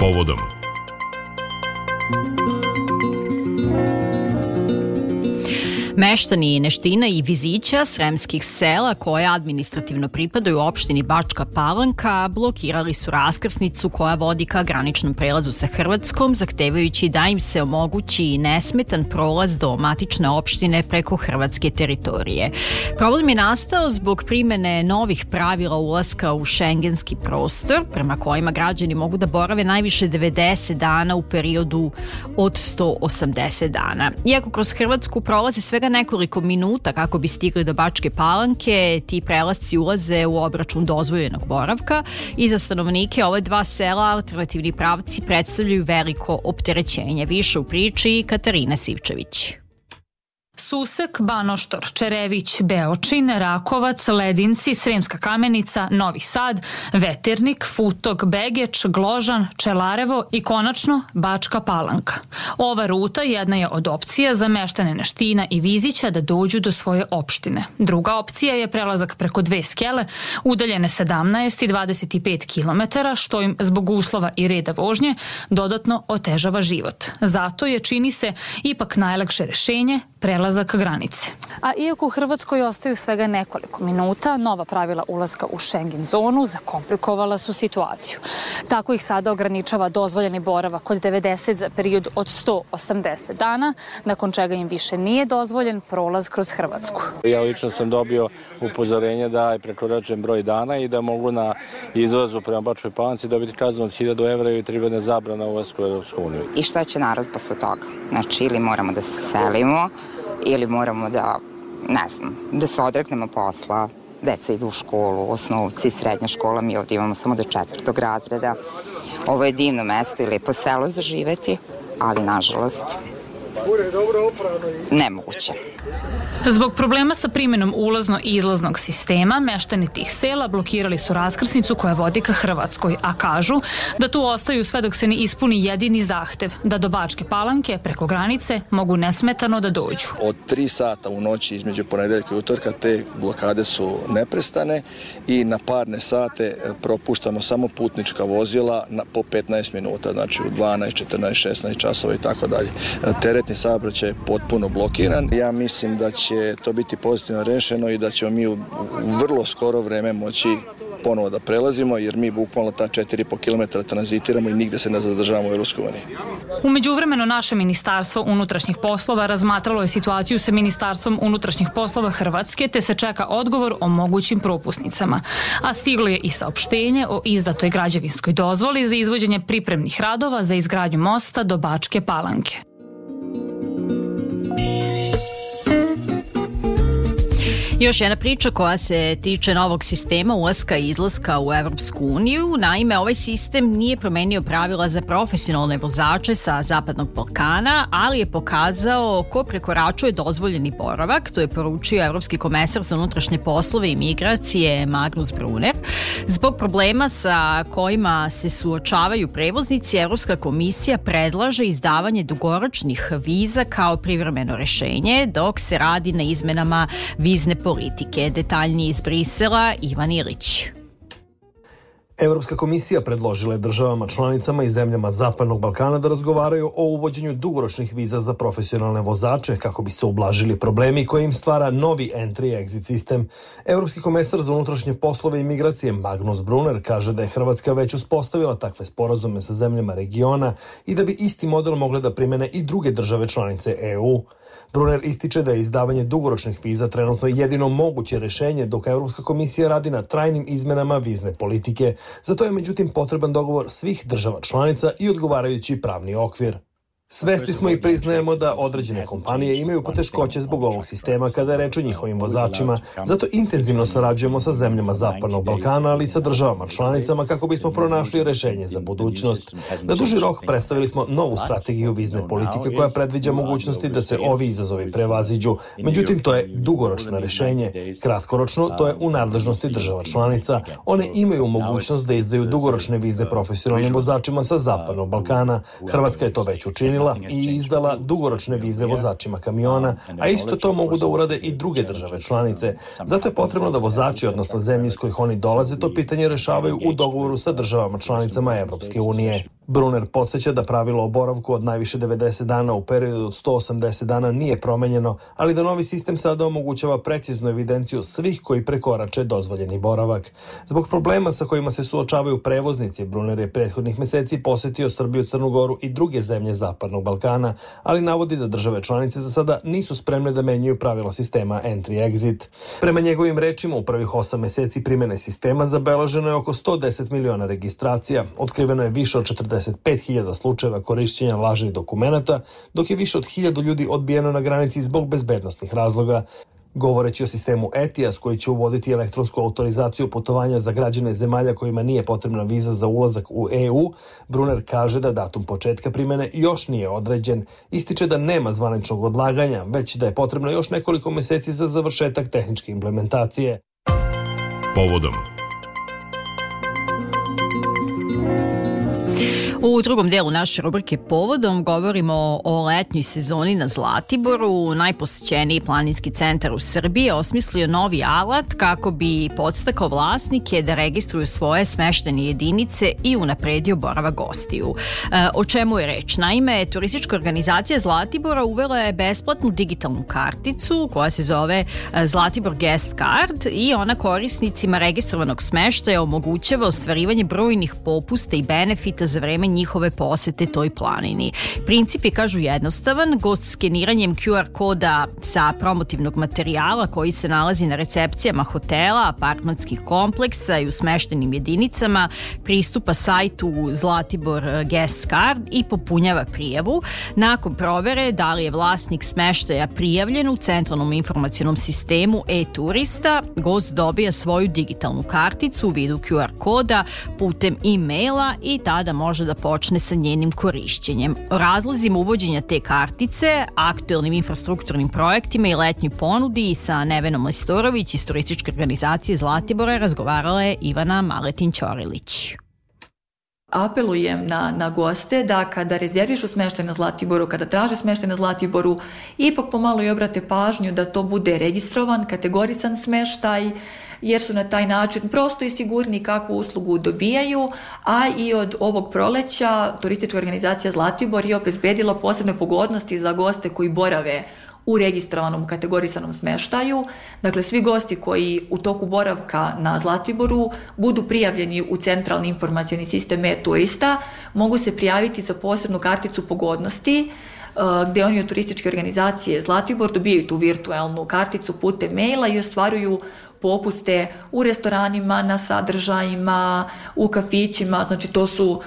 povodom. Meštani Neština i Vizića, sremskih sela koje administrativno pripadaju opštini Bačka Palanka, blokirali su raskrsnicu koja vodi ka graničnom prelazu sa Hrvatskom, zahtevajući da im se omogući nesmetan prolaz do matične opštine preko hrvatske teritorije. Problem je nastao zbog primene novih pravila ulaska u šengenski prostor, prema kojima građani mogu da borave najviše 90 dana u periodu od 180 dana. Iako kroz Hrvatsku prolaze svega nekoliko minuta kako bi stigli do Bačke Palanke, ti prelasci ulaze u obračun dozvoljenog boravka i za stanovnike ove dva sela alternativni pravci predstavljaju veliko opterećenje. Više u priči Katarina Sivčević. Susek, Banoštor, Čerević, Beočin, Rakovac, Ledinci, Sremska Kamenica, Novi Sad, Veternik, Futog, Begeč, Gložan, Čelarevo i konačno Bačka Palanka. Ova ruta jedna je od opcija za meštane Neština i Vizića da dođu do svoje opštine. Druga opcija je prelazak preko dve skele, udaljene 17 i 25 km, što im zbog uslova i reda vožnje dodatno otežava život. Zato je, čini se, ipak najlakše rešenje prelazak granice. A iako u Hrvatskoj ostaju svega nekoliko minuta, nova pravila ulaska u Schengen zonu zakomplikovala su situaciju. Tako ih sada ograničava dozvoljeni boravak od 90 za period od 180 dana, nakon čega im više nije dozvoljen prolaz kroz Hrvatsku. Ja lično sam dobio upozorenje da je prekoračen broj dana i da mogu na izlazu prema Bačkoj Palanci dobiti kaznu od 1000 evra i 3 godine zabrana ulaska u Europsku uniju. I šta će narod posle toga? Znači, ili moramo da se selimo, ili moramo da, ne znam, da se odreknemo posla, deca idu u školu, osnovci, srednja škola, mi ovdje imamo samo do 4. razreda. Ovo je divno mesto i lepo selo za živeti, ali nažalost nemoguće. Zbog problema sa primjenom ulazno i izlaznog sistema, meštani tih sela blokirali su raskrsnicu koja vodi ka Hrvatskoj, a kažu da tu ostaju sve dok se ne ispuni jedini zahtev, da do Bačke Palanke preko granice mogu nesmetano da dođu. Od 3 sata u noći između ponedeljka i utorka te blokade su neprestane i na parne sate propuštamo samo putnička vozila po 15 minuta, znači u 12, 14, 16 časova i tako dalje. Teretni saobraćaj je potpuno blokiran. Ja mislim da će to biti pozitivno rešeno i da ćemo mi u vrlo skoro vreme moći ponovo da prelazimo, jer mi bukvalno ta 4,5 km tranzitiramo i nigde se ne zadržavamo u Europskoj uniji. U međuvremenu naše Ministarstvo unutrašnjih poslova razmatralo je situaciju sa Ministarstvom unutrašnjih poslova Hrvatske, te se čeka odgovor o mogućim propusnicama. A stiglo je i saopštenje o izdatoj građevinskoj dozvoli za izvođenje pripremnih radova za izgradnju mosta do Bačke Palanke. Još jedna priča koja se tiče novog sistema ulaska i izlaska u Evropsku uniju. Naime, ovaj sistem nije promenio pravila za profesionalne vozače sa Zapadnog Balkana, ali je pokazao ko prekoračuje dozvoljeni boravak. To je poručio Evropski komesar za unutrašnje poslove i migracije Magnus Brunner. Zbog problema sa kojima se suočavaju prevoznici, Evropska komisija predlaže izdavanje dugoročnih viza kao privremeno rešenje, dok se radi na izmenama vizne politike. Detaljnije iz Brisela, Ivan Ilić. Evropska komisija predložila je državama članicama i zemljama Zapadnog Balkana da razgovaraju o uvođenju dugoročnih viza za profesionalne vozače kako bi se ublažili problemi koje im stvara novi entry-exit sistem. Evropski komesar za unutrašnje poslove i migracije Magnus Brunner kaže da je Hrvatska već uspostavila takve sporazume sa zemljama regiona i da bi isti model mogle da primene i druge države članice EU. Brunner ističe da je izdavanje dugoročnih viza trenutno jedino moguće rešenje, dok Evropska komisija radi na trajnim izmenama vizne politike. Zato je međutim potreban dogovor svih država članica i odgovarajući pravni okvir. Svesni smo i priznajemo da određene kompanije imaju poteškoće zbog ovog sistema kada je reč o njihovim vozačima. Zato intenzivno sarađujemo sa zemljama Zapadnog Balkana, ali i sa državama članicama kako bismo pronašli rešenje za budućnost. Na duži rok predstavili smo novu strategiju vizne politike koja predviđa mogućnosti da se ovi izazovi prevaziđu. Međutim, to je dugoročno rešenje. Kratkoročno, to je u nadležnosti država članica. One imaju mogućnost da izdaju dugoročne vize profesionalnim vozačima sa Zapadnog Balkana. Hrvatska je to već učinila i izdala dugoročne vize vozačima kamiona, a isto to mogu da urade i druge države članice. Zato je potrebno da vozači, odnosno zemlje iz kojih oni dolaze, to pitanje rešavaju u dogovoru sa državama članicama Evropske unije. Brunner podsjeća da pravilo o boravku od najviše 90 dana u periodu od 180 dana nije promenjeno, ali da novi sistem sada omogućava preciznu evidenciju svih koji prekorače dozvoljeni boravak. Zbog problema sa kojima se suočavaju prevoznici, Brunner je prethodnih meseci posetio Srbiju, Crnu Goru i druge zemlje Zapadnog Balkana, ali navodi da države članice za sada nisu spremne da menjaju pravila sistema entry-exit. Prema njegovim rečima, u prvih 8 meseci primjene sistema zabeleženo je oko 110 miliona registracija, otkriveno je više od 45.000 slučajeva korišćenja lažnih dokumenata, dok je više od 1.000 ljudi odbijeno na granici zbog bezbednosnih razloga. Govoreći o sistemu ETIAS koji će uvoditi elektronsku autorizaciju putovanja za građane zemalja kojima nije potrebna viza za ulazak u EU, Brunner kaže da datum početka primjene još nije određen. Ističe da nema zvaničnog odlaganja, već da je potrebno još nekoliko meseci za završetak tehničke implementacije. Povodom. U drugom delu naše rubrike Povodom govorimo o letnjoj sezoni na Zlatiboru. Najposećeniji planinski centar u Srbiji je osmislio novi alat kako bi podstakao vlasnike da registruju svoje smeštene jedinice i unapredio boravak gostiju. O čemu je reč? Naime, turistička organizacija Zlatibora uvela je besplatnu digitalnu karticu koja se zove Zlatibor Guest Card i ona korisnicima registrovanog smeštaja omogućava ostvarivanje brojnih popusta i benefita za vreme njihove posete toj planini. Princip je, kažu, jednostavan. Gost skeniranjem QR koda sa promotivnog materijala koji se nalazi na recepcijama hotela, apartmanskih kompleksa i u smeštenim jedinicama pristupa sajtu Zlatibor Guest Card i popunjava prijavu. Nakon provere da li je vlasnik smeštaja prijavljen u centralnom informacionom sistemu e-turista, gost dobija svoju digitalnu karticu u vidu QR koda putem e-maila i tada može da počne sa njenim korišćenjem. O razlozima uvođenja te kartice, aktuelnim infrastrukturnim projektima i letnjoj ponudi i sa Nevenom Majstorović iz turističke organizacije Zlatibora razgovarala je Ivana Maletin-Ćorilić. Apelujem na goste da kada rezervišu smeštaj na Zlatiboru, kada traže smeštaj na Zlatiboru, ipak pomalo i obrate pažnju da to bude registrovan, kategorisan smeštaj, jer su na taj način prosto i sigurni kakvu uslugu dobijaju, a i od ovog proleća turistička organizacija Zlatibor je obezbedila posebne pogodnosti za goste koji borave u registrovanom kategorisanom smeštaju. Dakle, svi gosti koji u toku boravka na Zlatiboru budu prijavljeni u centralni informacioni sistem e-turista, mogu se prijaviti za posebnu karticu pogodnosti, gde oni od turističke organizacije Zlatibor dobijaju tu virtualnu karticu putem maila i ostvaruju popuste u restoranima, na sadržajima, u kafićima. Znači, to su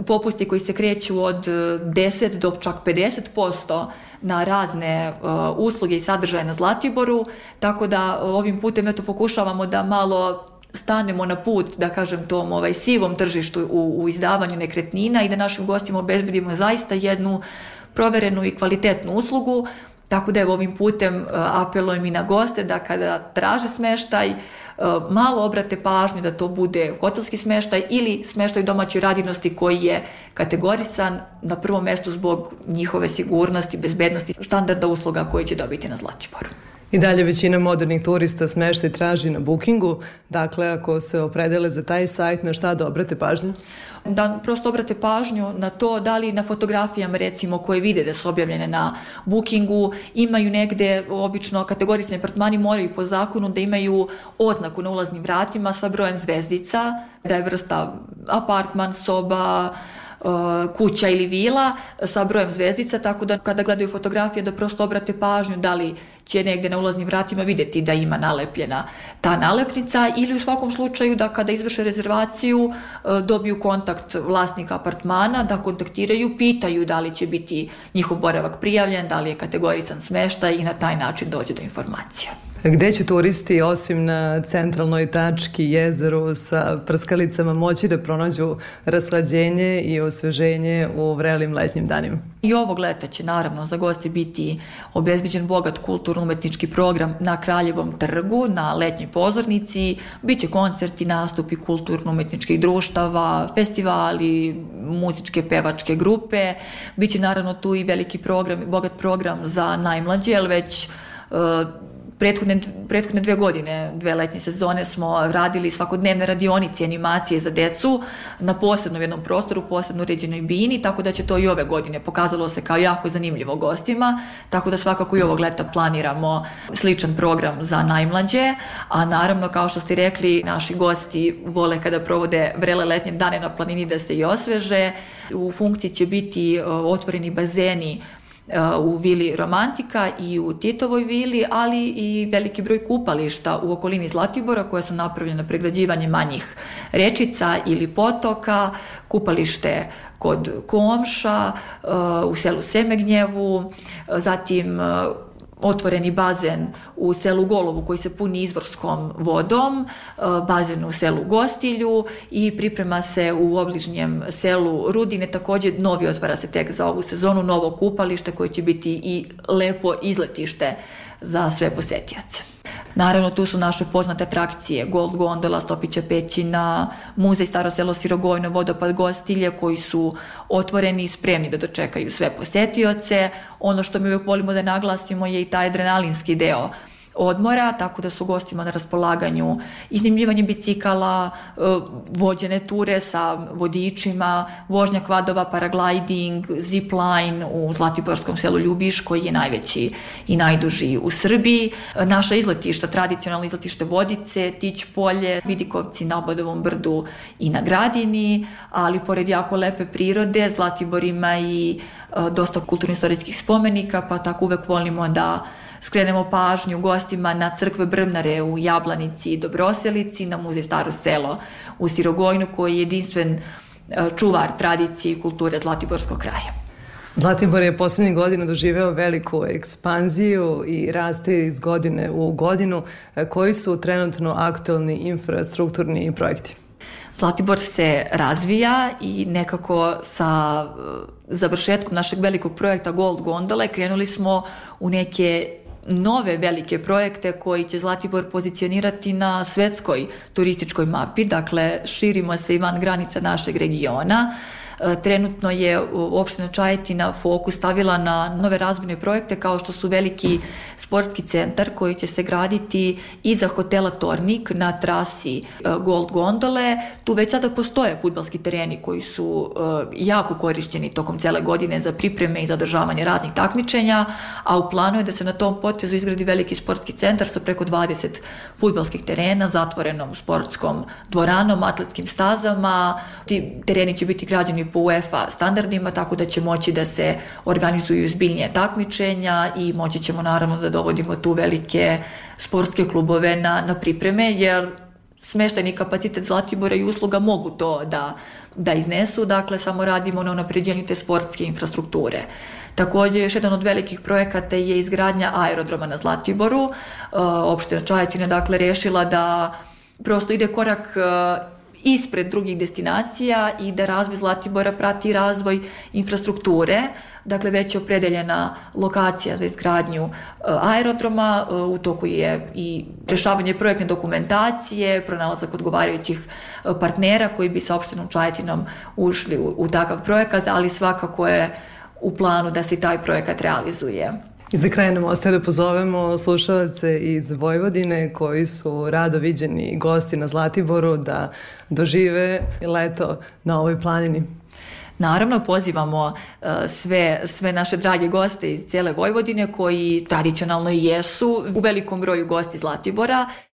popusti koji se kreću od 10 do čak 50% na razne usluge i sadržaje na Zlatiboru, tako da ovim putem pokušavamo da malo stanemo na put, da kažem, tom sivom tržištu u izdavanju nekretnina i da našim gostima obezbedimo zaista jednu proverenu i kvalitetnu uslugu. Tako da ovim putem apelujem i na goste da kada traže smeštaj, malo obrate pažnju da to bude hotelski smeštaj ili smeštaj domaćoj radinosti koji je kategorisan na prvom mestu zbog njihove sigurnosti, bezbednosti, standarda usluga koje će dobiti na Zlatiboru. I dalje većina modernih turista smeštaj traži na Bookingu, dakle ako se opredele za taj sajt, na šta da obrate pažnju? Da prosto obrate pažnju na to da li na fotografijama recimo koje vide da su objavljene na Bookingu imaju negde, obično kategorisani apartmani moraju po zakonu da imaju oznaku na ulaznim vratima sa brojem zvezdica, da je vrsta apartman, soba, kuća ili vila sa brojem zvezdica, tako da kada gledaju fotografije da prosto obrate pažnju da li će negde na ulaznim vratima vidjeti da ima nalepljena ta nalepnica ili u svakom slučaju da kada izvrše rezervaciju dobiju kontakt vlasnika apartmana, da kontaktiraju, pitaju da li će biti njihov boravak prijavljen, da li je kategorisan smeštaj i na taj način dođe do informacija. Gde će turisti, osim na centralnoj tački jezeru sa prskalicama, moći da pronađu rashlađenje i osveženje u vrelim letnjim danima? I ovog leta će naravno za goste biti obezbeđen bogat kulturno-umetnički program na Kraljevom trgu, na letnjoj pozornici. Biće koncerti, nastupi kulturno-umetničkih društava, festivali, muzičke, pevačke grupe. Biće naravno tu i veliki program, bogat program za najmlađe, jer već prethodne 2 godine, 2 letnje sezone smo radili svakodnevne radionice, animacije za decu na posebnom jednom prostoru, posebno uređenoj bini, tako da će to i ove godine pokazalo se kao jako zanimljivo gostima, tako da svakako i ovog leta planiramo sličan program za najmlađe, a naravno kao što ste rekli, naši gosti vole kada provode vrele letnje dane na planini da se i osveže. U funkciji će biti otvoreni bazeni u vili Romantika i u Titovoj vili, ali i veliki broj kupališta u okolini Zlatibora koja su napravljena pregrađivanjem manjih rečica ili potoka, kupalište kod Komša, u selu Semegnjevu, zatim otvoreni bazen u selu Golovu koji se puni izvorskom vodom, bazen u selu Gostilju i priprema se u obližnjem selu Rudine, također novi otvara se tek za ovu sezonu, novo kupalište koje će biti i lepo izletište za sve posetioce. Naravno, tu su naše poznate atrakcije, Gold Gondola, Stopića pećina, muzej Staro selo Sirogojno, vodopad Gostilje, koji su otvoreni i spremni da dočekaju sve posetioce. Ono što mi uvijek volimo da naglasimo je i taj adrenalinski deo odmora, tako da su gostima na raspolaganju iznajmljivanje bicikala, vođene ture sa vodičima, vožnja kvadova, paragliding, zipline u zlatiborskom selu Ljubiš koji je najveći i najduži u Srbiji. Naša izletišta, tradicionalno izletište Vodice, Tić polje, Vidikovci na Obadovom brdu i na Gradini, ali pored jako lepe prirode, Zlatibor ima i dosta kulturno-istorijskih spomenika, pa tako uvek volimo da skrenemo pažnju gostima na crkve Brvnare u Jablanici i Dobroselici, na muzej Staro selo u Sirogojnu koji je jedinstven čuvar tradicije i kulture Zlatiborskog kraja. Zlatibor je poslednjih godina doživeo veliku ekspanziju i raste iz godine u godinu. Koji su trenutno aktualni infrastrukturni projekti? Zlatibor se razvija i nekako sa završetkom našeg velikog projekta Gold Gondole krenuli smo u neke nove velike projekte koji će Zlatibor pozicionirati na svetskoj turističkoj mapi, dakle širimo se i van granica našeg regiona. Trenutno je opština Čajetina fokus stavila na nove razvojne projekte kao što su veliki sportski centar koji će se graditi iza hotela Tornik na trasi Gold Gondole. Tu već sada postoje fudbalski tereni koji su jako korišćeni tokom cele godine za pripreme i za održavanje raznih takmičenja, a u planu je da se na tom potezu izgradi veliki sportski centar sa preko 20 fudbalskih terena, zatvorenom sportskom dvoranom, atletskim stazama. Ti tereni će biti građeni po UEFA standardima, tako da će moći da se organizuju zbiljnije takmičenja i moći ćemo naravno da dovodimo tu velike sportske klubove na pripreme, jer smeštajni kapacitet Zlatibora i usluga mogu to da iznesu, dakle samo radimo na unapređenju te sportske infrastrukture. Također, još jedan od velikih projekata je izgradnja aerodroma na Zlatiboru. Opština Čajetina dakle rešila da prosto ide korak ispred drugih destinacija i da razvoj Zlatibora prati razvoj infrastrukture. Dakle, već je opredeljena lokacija za izgradnju aerodroma, u toku je i rešavanje projektne dokumentacije, pronalazak odgovarajućih partnera koji bi sa opštinom Čajetinom ušli u takav projekat, ali svakako je u planu da se taj projekat realizuje. I za kraj nam ostaje da pozovemo slušalce iz Vojvodine koji su rado viđeni gosti na Zlatiboru da dožive leto na ovoj planini. Naravno, pozivamo sve naše drage goste iz cijele Vojvodine koji tradicionalno i jesu u velikom broju gosti Zlatibora.